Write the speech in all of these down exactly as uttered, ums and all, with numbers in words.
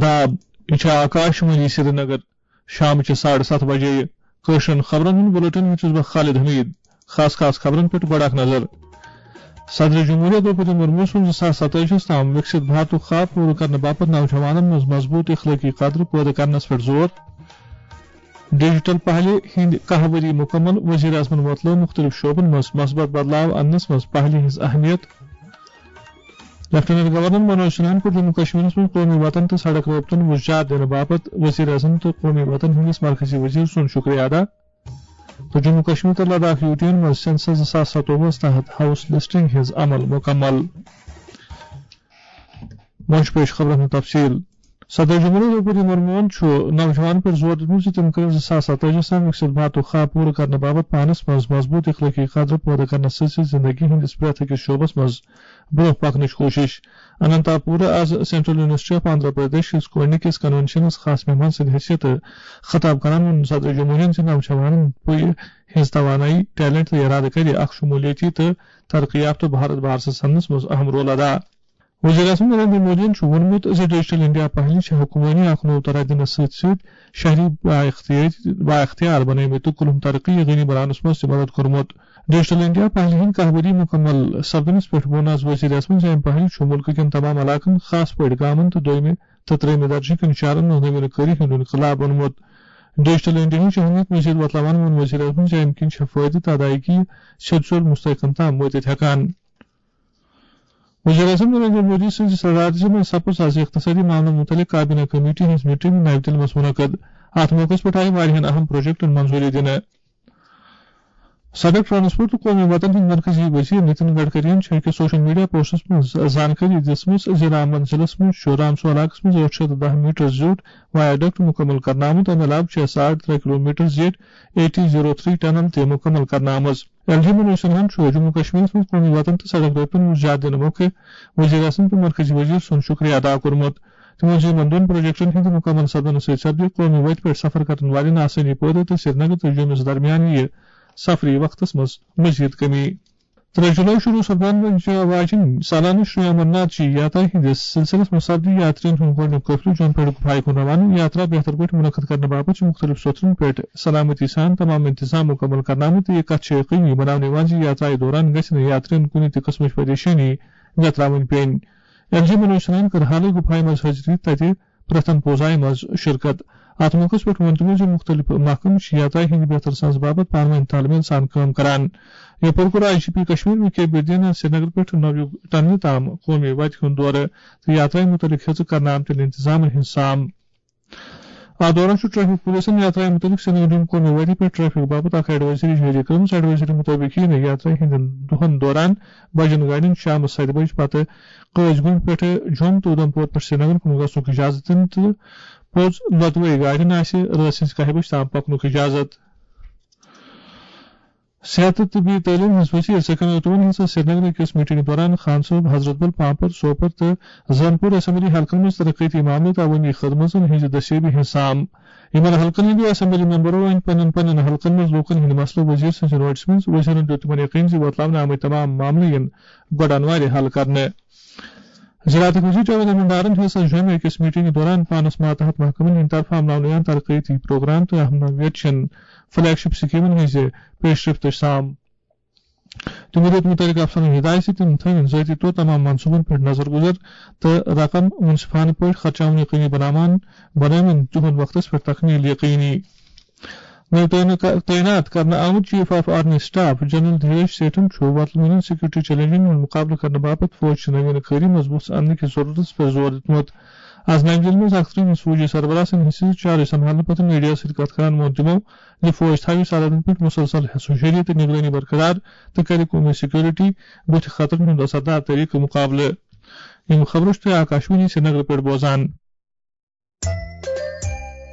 آداب، یہِ چھِ آکاش وانی سرینگر۔ شامچہِ ساڑٕ ستھ بجے کٲشرٮ۪ن خبرن ہُنٛد بُلٹن ہیٚتھ چھُس بہٕ خالد حمید۔ خاص خاص خبرن پٮ۪ٹھ گۄڈٕ اکھ نظر۔ صدر جمہوریہ درٛوپدی مرمو سُنٛد زٕ ساس ستٲجی ہَس تام وِکسِت بھارتُک خواب پوٗرٕ کرنہٕ باپتھ نوجوانن منٛز مضبوٗط اخلٲقی قدر پٲدٕ کرنس پٮ۪ٹھ زور۔ ڈیجیٹل پہلہِ ہٕنٛدۍ کاہ ؤری مُکمل، وزیر اعظمن وۄتلٲو مُختٔلِف شعبن منٛز مثبت بدلاو اننس منٛز پہلہِ ہٕنٛز اہمیت۔ لیفٹیننٹ گورنر منوج سنہاہن کوٚر جموں کشمیرس منٛز قومی وطن تہٕ سڑک رٲبطن وُزجار دِنہٕ باپتھ وزیر اعظم تہٕ قومی وطن ہٕنٛدِس مرکزی وزیر سُنٛد شُکریہ ادا۔ تہٕ جموں کشمیر تہٕ لداخ یوٗٹین منٛز سینسس زٕ ساس ستووُہس تحت ہاؤس لسٹنگ ہٕنٛز عمل مُکمل۔ وۄنۍ چھِ پیش خبرن ہُنٛد تفصیل۔ صدر جمہوریہ درٛوپدی مرموہن چھُ نوجوانن پٮ۪ٹھ زور دیُتمُت زِ تِم کٔرِن زٕ ساس ستٲجی ہَس تام وِکسِت بھارتُک خواب پوٗرٕ کرنہٕ باپتھ پانس منٛز مضبوٗط اخلٲقی قدر پٲدٕ کرنس سۭتۍ سۭتۍ زندگی ہٕنٛدِس پرٛٮ۪تھ أکِس شعبس منٛز برٛونٛہہ پکنٕچ کوٗشش۔ اننتا پورہ آز central university of Andhra Pradesh کِس گۄڈٕنِکِس کنونشنس خاص مہمان سٕنٛدِ حیثیتہٕ خطاب کران ووٚن صدر جمہوریہن زِ نوجوانن پُیہِ ہٕنٛز توانٲیی، ٹیلنٹ تہٕ ارادٕ کرِ اکھ شمولیتی تہٕ ترقی یافتہٕ بھارت بارسس سننس منٛز اہم رول ادا۔ وزیر اعظم نریندر مودیَن چھُ ووٚنمُت زِ ڈیجیٹل انڈیا پہلہِ چھِ حکمرٲنی اکھ نوٚو ترقی دِنَس سۭتۍ سۭتۍ شہری بااختیار، بااختیار بنٲومٕتۍ تہٕ کُلہُم ترقی یقینی بناونَس منٛز تہِ مدد کوٚرمُت۔ ڈیجیٹل انڈیا پہلہِ ہٕنٛدۍ کاہ ؤری مُکمل سپدنَس پٮ۪ٹھ ووٚن آز وزیر اعظمَن زِ اَمہِ پہلہِ چھُ مُلکہٕ کٮ۪ن تمام علاقن، خاص پٲٹھۍ گامَن تہٕ دوٚیمہِ تہٕ ترٛیٚیمہِ درجہٕ کٮ۪ن شہرَن منٛز نویٖنہٕ کٲری ہُنٛد انقلاب اوٚنمُت۔ ڈیجیٹل انڈیاہٕچ اہمیت مٔزیٖد وۄتلاوان ووٚن وزیر اعظمَن زِ اَمہِ کِنۍ چھےٚ فٲیدٕ تہٕ ادائیگی سیوٚد سیوٚد مستحقن تام وٲتِتھ ہٮ۪کان۔ وزیر اعظم نریندر مودی سٕنٛزِ صدارتہِ منٛز سپٕز از اقتصٲدی معاملن مُتعلق کابینہ کمیٹی ہٕنٛز میٹنگ نَیہِ دِلہِ منٛز منعقد۔ اَتھ موقعس پٮ۪ٹھ آیہِ واریاہَن اہم پروجیکٹن منظوٗری دِنہٕ۔ سڑک ٹرانسپورٹ تہٕ قومی وطن ہٕنٛدۍ مرکزی وزیر نتن گڈکرین چھِ أکِس سوشل میڈیا پوسٹس منٛز زانکٲری دِژمٕژ زِ رام بن ضلعس منٛز چھُ رامسو علاقس منٛز ٲٹھ شیٚتھ تہٕ دَہ میٹر زیوٗٹھ وایاڈکٹ مُکمل کرنہٕ آمُت۔ اَمہِ علاوٕ چھےٚ ساڑ ترٛےٚ کلومیٹر زیٖٹھ A T zero three tunnel تہِ مُکمل کرنہٕ آمٕژ۔ ایل جی منوج سنہاہن چھُ جموں کشمیرس منٛز قومی وطن تہٕ سڑک رٲبطن ہُنٛد زیادٕ دِنہٕ موقعہٕ وزیر اعظم تہٕ مرکزی وزیر سُنٛد شُکریہ ادا کوٚرمُت۔ تِمو ووٚن زِ یِمن دۄن پروجیکٹن ہٕنٛدِ مُکمل سپدنہٕ سۭتۍ سپدِ قومی وتہِ پٮ۪ٹھ سفر کرن والٮ۪ن آسٲنی پٲدٕ تہٕ سرینگر تہٕ جوٚمِس درمیان یِیہِ سفری وقتس منٛز مزید کمی۔ ترٛےٚ جولائی شروع سپدن واجیٚنۍ سالانہٕ شری امرناتھ جی یاترا ہٕنٛدِس سلسلس منٛز سپدِ یاترین ہُنٛد گۄڈٕنیُک قٲفلہٕ جوٚم پٮ۪ٹھ گُپھایہِ کُن روانہٕ۔ یاترا بہتر پٲٹھۍ منعقد کرنہٕ باپتھ چھِ مُختٔلِف سوٚتھرن پٮ۪ٹھ سلامتی سان تمام انتظام مُکمل کرنہٕ آمٕتۍ تہٕ یہِ کتھ چھِ یقینی بناونہٕ یِوان زِ یاترایہِ دوران گژھِ نہٕ یاترین کُنہِ تہِ قٕسمٕچ پریشٲنی ویتراوٕنۍ پیٚنۍ۔ ایل جی منوج سنہاہن کٔر حالٕے گُپھایہِ منٛز حٲضری تتہِ پرتھم پوزایہِ منٛز شرکت۔ اتھ موقعس پٮ۪ٹھ ووٚن تِمو زِ مُختٔلِف محکمہٕ چھِ یاترایہِ ہٕنٛدِ بہتر ساز باپتھ پانہٕ وٲنۍ تال میل سان کٲم کران۔ یپٲرۍ کوٚر I G P Kashmir V K بیدین سرینگر پٮ۪ٹھ نویو ٹنلہِ تام قومی وتہِ ہُنٛد دورٕ تہٕ یاترایہِ مُتعلق ہیٚژٕ کرنہٕ آمتٮ۪ن انتظامن ہُنٛد سام۔ اتھ دوران چھُ ٹریفک پولیسن یاترایہِ مُتعلق سرینگرٕ قومی وتہِ پٮ۪ٹھ ٹریفک باپتھ اکھ ایڈوائزری جٲری کٔرمٕژ۔ ایڈوائزری مُطٲبِق یِیہِ نہٕ یاترایہِ ہٕنٛدٮ۪ن دۄہن دوران بجن گاڑٮ۪ن شامس ستہِ بجہِ پتہٕ قٲضۍ گُنڈ پٮ۪ٹھٕ جوٚم تہٕ اُدھمپور پٮ۪ٹھ سرینگر کُن گژھنُک اجازت دِنہٕ تہٕ پوٚز لۄتوے گاڑٮ۪ن آسہِ رٲژ ہٕنٛزِ کاہہِ بجہِ تام پکنُک اجازت۔ صحت تہٕ طبی تعلیٖم ہٕنٛز وزیر سکینہ اوتوٗن ہیٚژ سرینگرٕ أکِس میٹنگہِ دوران خان صٲب، حضرت بل، پامپر، سوپور تہٕ زنپور اسمبلی حلقن منٛز ترقیتی معاملہٕ تہٕ عوٲمی خدمژن ہٕنٛزِ دستیٲبی ہٕنٛز سام۔ یِمن حلقن ہٕنٛدیو اسمبلی ممبرو أنۍ پننٮ۪ن پننٮ۪ن حلقن منٛز لوٗکن ہٕنٛدۍ مسلہٕ وزیر سٕنٛزِ نوٹسہِ منٛز۔ وزیرن دیُت تِمن یقین زِ وۄتلاونہٕ آمٕتۍ تمام معاملہٕ یِن گۄڈٕ انوارِ حل کرنہٕ۔ زراعتٕکۍ وزیر جاوید احمد ڈارن ہیٚژ جوٚمہِ أکِس میٹنگہِ دوران پانس ماتحت محکمن ہٕنٛدِ طرفہٕ عملاونہٕ یِوان ترقیتی پروگرام تہٕ اہم نوعیت چٮ۪ن فلیگ شپ سکیمن ہٕنٛزِ پیشرفتٕچ سام۔ تِمو دیُت مُتعلقہٕ افسرن ہدایت زِ تِم تھٲوِن ذٲتی طور تمام منصوٗبن پٮ۪ٹھ نظر گُزر تہٕ رقم منصفانہٕ پٲٹھۍ خرچاوُن یقینی بناوان، بنٲوِن تِہُنٛد وقتس پٮ۪ٹھ تکمیل یقینی۔ نٔو تعین-، تعینات کرنہٕ آمُت chief of army staff general Dhiraj سیٹھن چھُ وۄتلمٕتٮ۪ن سیکورٹی چیلنجن ہُنٛد مُقابلہٕ کرنہٕ باپتھ فوج چہِ نویٖنہٕ کٲری منٛز وُژھ اننہٕ کِس ضروٗرتس پٮ۪ٹھ زور دیُتمُت۔ از نَیہِ دِلہِ منٛز اکھ ترٛہمِس فوجی سربراہ سٕنٛدِ حصہٕ چارج سنبھالنہٕ پتہٕ میڈیا سۭتۍ کتھ کران ووٚن تِمو زِ فوج تھاوِ سرحدن پٮ۪ٹھ مسلسل ہُشٲری تہٕ نگرٲنی برقرار تہٕ کرِ قومی سیکورٹی بُتھِ خطرن ہُنٛد اثردار طریقہٕ مُقابلہٕ۔ یِم خبرٕ چھِ تُہۍ آکاشوانی سرینگرٕ پٮ۪ٹھ بوزان۔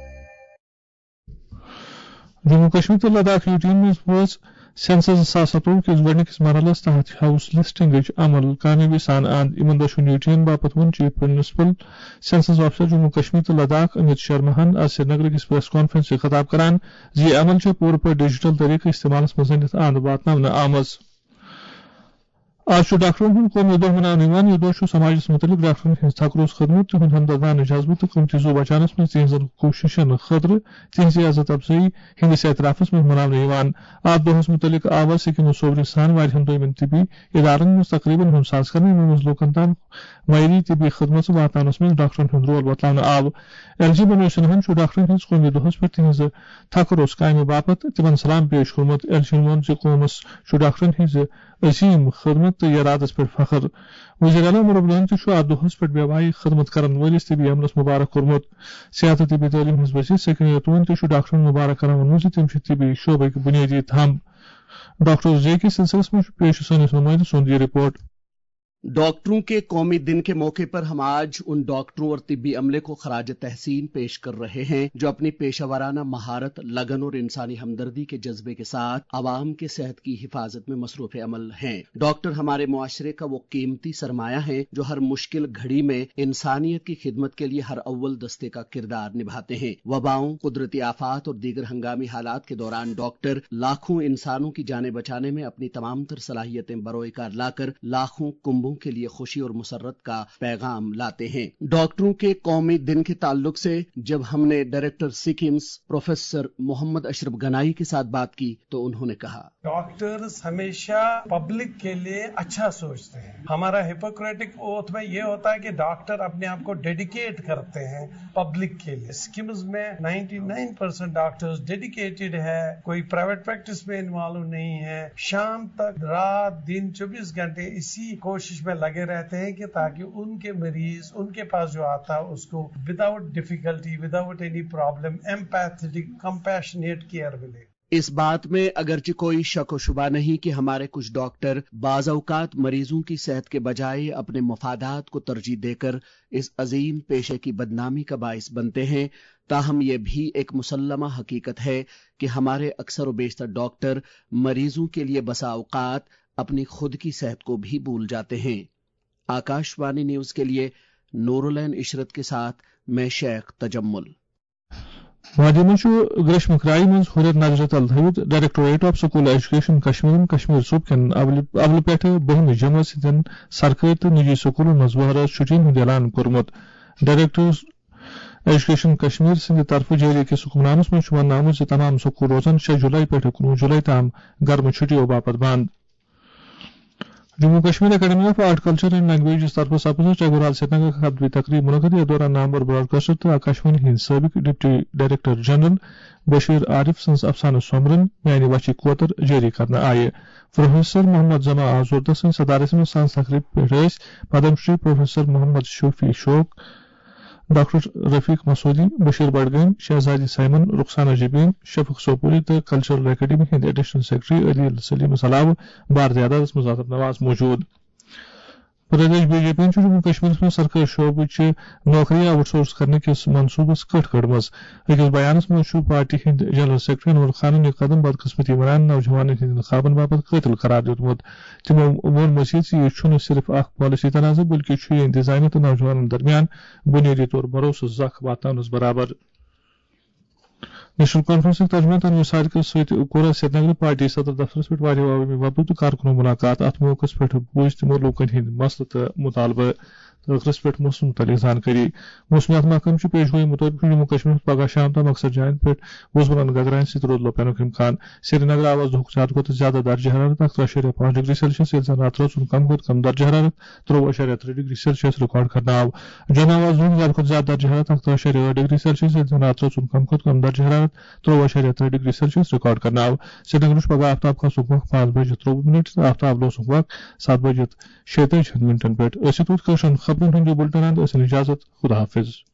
جموں کشمیر تہٕ لداخ یوٗٹین منٛز وٲژ سینسس زٕ ساس ستووُہ کِس گۄڈٕنِکِس مرحلَس تحت ہاؤس لسٹنگٕچ عمل کامیٲبی سان اند۔ یِمن دۄشوٕنی یوٗٹین باپتھ ووٚن chief municipal census officer Jammu Kashmir تہٕ لداخ امیت شرماہن آز سرینگرٕ کِس پریس کانفرنس سۭتۍ خطاب کران زِ یہِ عمل چھےٚ پوٗرٕ پٲٹھۍ ڈیجیٹل طریقہٕ استعمالس منٛز أنِتھ اند واتناونہٕ آمٕژ۔ آز چھُ ڈاکٹرن ہُنٛد قومی دۄہ مناونہٕ یِوان۔ یہِ دۄہ چھُ سماجس مُتعلق ڈاکٹرن ہٕنٛز تھکروز خدمت، تِہُنٛد ہمدردانہٕ جذبہٕ تہٕ قۭمتی زُو بچاونس منٛز تِہنٛزن کوٗششن خٲطرٕ تِہنٛزِ عزت افزٲیی ہٕنٛدِس اعترافس منٛز مناونہٕ یِوان۔ اتھ دۄہس مُتعلق آو از سکمس صوورِ سان واریاہن دویمٮ۪ن طبی ادارن منٛز تقریبن ہُنٛد ساز کرنہٕ، یِمن منٛز لوٗکن تام معیٲری طبی خدمژٕ واتناونس منٛز ڈاکٹرن ہُنٛد رول بتلاونہٕ آو۔ ایل جی منوج سنہاہن چھُ ڈاکٹرن ہٕنٛز قومی دۄہس پٮ۪ٹھ تِہنٛزِ تھکروز کامہِ باپتھ تِمن سلام پیش کوٚرمُت۔ ایل جی وَن زِ قومس چھُ ڈاکٹرن ہٕنٛزِ عظیم خدمت تہٕ یرادس پٮ۪ٹھ فخر۔ وزیر اعلیٰ عمر عبداللہن تہِ چھُ اتھ دۄہس پٮ۪ٹھ بے وایی خدمت کرن وٲلِس طبی عملس مبارک کوٚرمُت۔ صحت تہٕ طبی تعلیٖم ہٕنٛز وزیر سکینہ رحمان تہِ چھُ ڈاکٹرن مبارک کران ووٚنمُت زِ تِم چھِ طبی شعبٕکۍ بُنیٲدی تھمب۔ ڈاکٹر جے کے سلسلس منٛز چھُ پیش سٲنِس نُمٲیندٕ سُنٛد یہِ رپورٹ۔ ڈاکٹروں کے قومی دن کے موقع پر ہم آج ان ڈاکٹروں اور طبی عملے کو خراج تحسین پیش کر رہے ہیں، جو اپنی پیشہ ورانہ مہارت، لگن اور انسانی ہمدردی کے جذبے کے ساتھ عوام کے صحت کی حفاظت میں مصروف عمل ہیں۔ ڈاکٹر ہمارے معاشرے کا وہ قیمتی سرمایہ ہیں، جو ہر مشکل گھڑی میں انسانیت کی خدمت کے لیے ہر اول دستے کا کردار نبھاتے ہیں۔ وباؤں، قدرتی آفات اور دیگر ہنگامی حالات کے دوران ڈاکٹر لاکھوں انسانوں کی جانیں بچانے میں اپنی تمام تر صلاحیتیں بروئے کار لاکر لاکھوں کنبوں کے لیے خوشی اور مسرت کا پیغام لاتے ہیں۔ ڈاکٹروں کے قومی دن کے تعلق سے جب ہم نے ڈائریکٹر سکمز پروفیسر محمد اشرف گنائی کے ساتھ بات کی تو انہوں نے کہا، ڈاکٹرز ہمیشہ پبلک کے لیے اچھا سوچتے ہیں۔ ہمارا ہپوکریٹک اوتھ میں یہ ہوتا ہے کہ ڈاکٹر اپنے آپ کو ڈیڈیکیٹ کرتے ہیں پبلک کے لیے۔ سکمز میں ninety nine percent doctors dedicated ہے، کوئی پرائیویٹ پریکٹس میں انوالو نہیں ہے۔ شام تک، رات دن، چوبیس گھنٹے اسی کوشش میں لگے رہتے ہیں کہ تاکہ ان کے مریض، ان کے پاس جو آتا ہے، اس کو without difficulty, without any problem, empathetic, compassionate care ملے۔ اس بات میں اگرچہ کوئی شک و شبہ نہیں کہ ہمارے کچھ ڈاکٹر بعض اوقات مریضوں کی صحت کے بجائے اپنے مفادات کو ترجیح دے کر اس عظیم پیشے کی بدنامی کا باعث بنتے ہیں، تاہم یہ بھی ایک مسلمہ حقیقت ہے کہ ہمارے اکثر و بیشتر ڈاکٹر مریضوں کے لیے بسا اوقات اپنی خود کی صحت کو بھی بھول جاتے ہیں۔ آکاش وانی نیوز کے لیے نورالعین عشرت کے ساتھ میں شیخ تجمل۔ وادی منٛز چھُ گریشمہٕ کرایہِ منٛز ہُرٮ۪ر نظرِ تل تھٲوِتھ ڈائریکٹوریٹ آف سکول ایجوکیشن کشمیرن کشمیر صوبہٕ کٮ۪ن اولہِ، اولہِ پٮ۪ٹھٕ بٔہمہِ جمٲژ ہٕنٛدٮ۪ن سرکٲرۍ تہٕ نجی سکولن منٛز وۄہرٲژ چھُٹی ہُنٛد اعلان کوٚرمُت۔ ڈائریکٹر ایجوکیشن کشمیر سٕنٛدِ طرفہٕ جٲری أکِس حکمنامس منٛز چھُ وننہٕ آمُت زِ تمام سکول روزن شےٚ جولائی پٮ۪ٹھٕ کُنوُہ جولائی تام گرمہٕ چھُٹیو باپتھ بند۔ Jammu Kashmir academy of art, culture and languages طرفہٕ سپٕز ٹیگور ہال سرینگرٕچ خطبہٕ تقریب منعقد۔ یتھ دوران نامور براڈکاسٹر تہٕ آکاشوانی ہٕنٛدۍ سٲبق deputy director general Bashir Arif سٕنٛز افسانہٕ سومبرن میانہِ وچھِ کوتر جٲری کرنہٕ آیہِ۔ پروفیسر محمد زما آزوردہ سٕنٛدِ صدارت منٛز سانس تقریب پٮ۪ٹھ ٲسۍ پدم شری پروفیسر محمد شفیع شوق، ڈاکٹر رفیق مسعودی، بشیر بڈگٲمۍ، شہزادی سائمن، رخسانہ جبین، شفق سوپوری تہٕ کلچرل اکیڈمی ہٕنٛدۍ ایڈیشنل سیکرٹری عدیل سلیمس علاوٕ بھارتی عدالتس منٛز آدم نواز موجود۔ پردیش بی جے پی چھُ جموں کشمیرس منٛز سرکٲرۍ شعبہٕ چہِ نوکری آوٹ سورس کرنہٕ کِس منصوبس کٔٹھ کٔڑمٕژ۔ أکِس بیانس منٛز چھُ پارٹی ہٕنٛدۍ جنرل سیکرٹری انور خانن یہِ قدم بدقسمتی ونان نوجوانن ہٕنٛدٮ۪ن خوابن باپتھ قٲتل قرار دیُتمُت۔ تِمو ووٚن مزید زِ یہِ چھُنہٕ صرف اکھ پالیسی تنازٕ، بلکہِ چھُ یہِ انتظامیہ تہٕ نوجوانن درمیان بنیٲدی طور بھروسہٕ زکھ واتناونس برابر۔ نیشنل کانفرنسٕکۍ ترجمان تنویر صادقس سۭتۍ کوٚر سرینگرٕ پارٹی صدر دفترس پٮ۪ٹھ واریاہو عوٲمی وفدو تہٕ کارکنو ملاقات۔ اتھ موقعس پٮ۪ٹھ بوٗزۍ تِمو لوٗکن ہٕنٛدۍ مسلہٕ تہٕ مطالبہٕ۔ ٲخرس پٮ۪ٹھ موسمہٕ مُتعلق زانکٲری۔ موسمیات محکمہٕ چہِ پیش گویی مُطٲبِق چھُ جموں کشمیرس پگہہ شام تام اکثر جاین پٮ۪ٹھ وُزمٕلن گگراین سۭتۍ رُت لوپینُک امکان۔ سرینگرٕ آو از دۄہُک زیادٕ کھۄتہٕ زیادٕ درجہ حرارت اکھ ترٛہ اَشاریہ پانٛژھ ڈگری سیلسیس، ییٚلہِ زن راتہٕ رٲژ ہُنٛد کم کھۄتہٕ کم درجہ حرارت ترٛۆوُہ اَشاریہ ترٛےٚ ڈگری سیلسیس ریکارڈ کرنہٕ آو۔ جوٚم آو از دۄہُک زیادٕ کھۄتہٕ زیادٕ درجہ حرارت اکھ ترٛہ اَشاریہ ٲٹھ ڈگری سیلسیس، ییٚلہِ زن راتہٕ رٲژ ہُنٛد کم کھۄتہٕ کم درجہ حرارت ترٛۆوُہ اَشاریہ ترٛےٚ ڈگری سیلسیس ریکارڈ کرنہٕ آو۔ سرینگرٕ چھُ پگہہ آفتاب کھسنُک وق پانٛژھ بجہِ ترٛۆوُہ منٹ تہٕ آفتاب لوسنُک وق ستھ بجہِ شیٚیہِ تٲجی منٹن پٮ۪ٹھ۔ أسۍ یوت کٲشرٮ۪ن خبرن ہُنٛد یہِ بُلٹن اند۔ أسۍ یِن اجازت۔ خدا حافظ۔